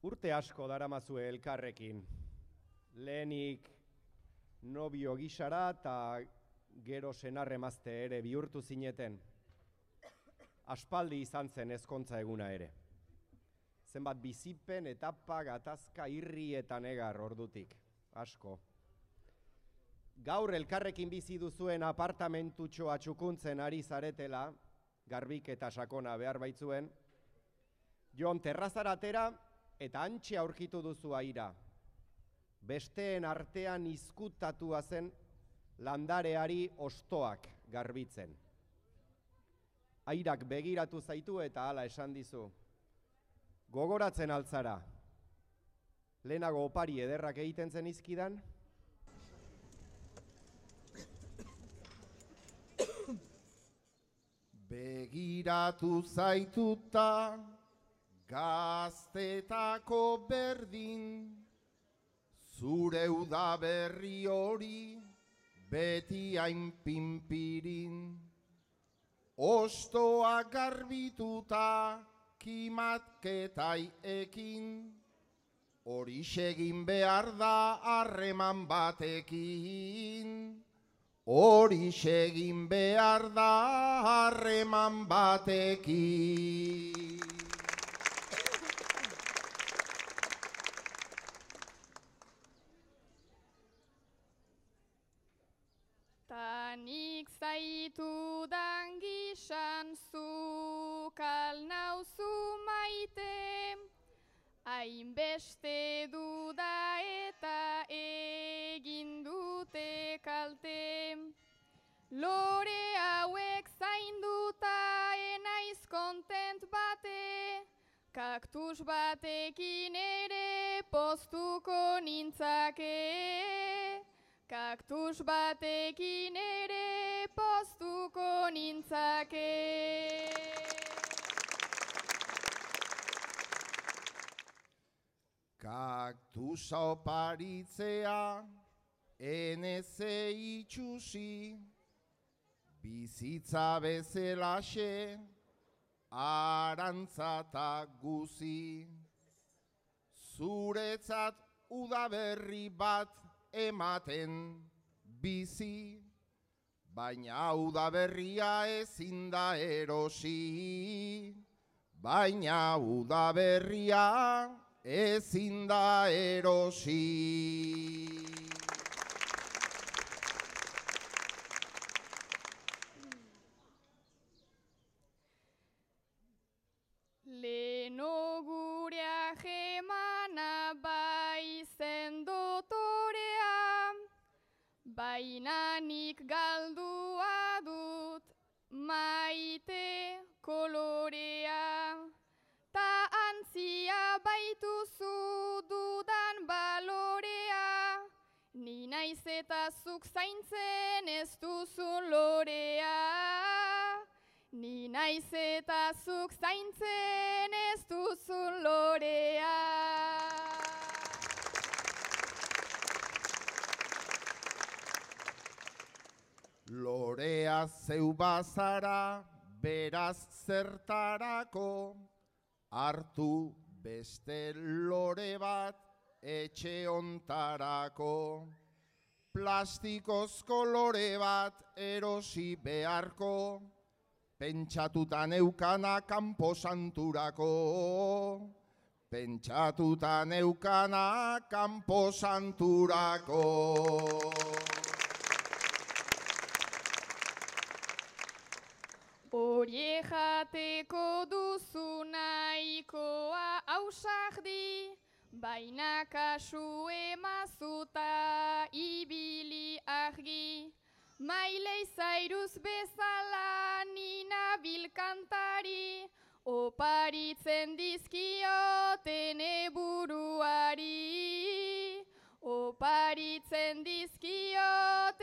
Urte asko daramazue elkarrekin. Lehenik nobio gisara eta gero senarremazte ere bihurtu zineten. Aspaldi izan zen ezkontza eguna ere. Zenbat bizipen, etapa, gatazka, irri eta negar ordutik. Asko. Gaur elkarrekin bizi duzuen apartamentutxoa txukuntzen ari zaretela, garbik eta sakona behar baitzuen, Jon terrazara atera eta antxe aurkitu duzu aira. Besteen artean izkutatua zen landareari ostoak garbitzen. Airak begiratu zaitu eta hala esan dizu. Gogoratzen altzara. Lehenago opari ederrak egiten zen izkidan? Begiratu zaituta gaztetako berdin, zure udaberri hori beti hain pinpirin. Ostoa garbituta kimatketai ekin, hori egin behar da harreman batekin. Hori egin behar da harreman batekin. Tanik zaitu dangisan zuk alnauzu maite, hainbeste duda eta egin dute kalte. Lore hauek zainduta enaiz kontent bate, kaktus batekin ere poztuko nintzake. Kaktus batekin ere poztuko nintzake. Kaktusa oparitzea eneze itxusi, bizitza bezelaxe arantzata guzi. Zuretzat udaberri bat ematen bizi, baina udaberria ezin da erosi. Baina udaberria ezin da erosi. Leno gurea jemana bai zen dotorea, baina nik galdua dut maite kolorea. Ta antzia baituzu dudan balorea, ni naiz eta zuk zaintzen ez duzun lorea. Ni naiz eta zuk zaintzen ez duzun lorea. Lorea zeu bazara, beraz zertarako, hartu beste lore bat etxe ontarako. Plastikozko lore bat erosi beharko, pentsatuta neukana kanpo santurako. Pentsatuta neukana kanpo santurako. Horie jateko duzu nahikoa ausardi, baina kasu emazuta ibili argi. Miley Cyrus bezala nina bilkantari, oparitzen dizkiotene buruari. Oparitzen dizkiot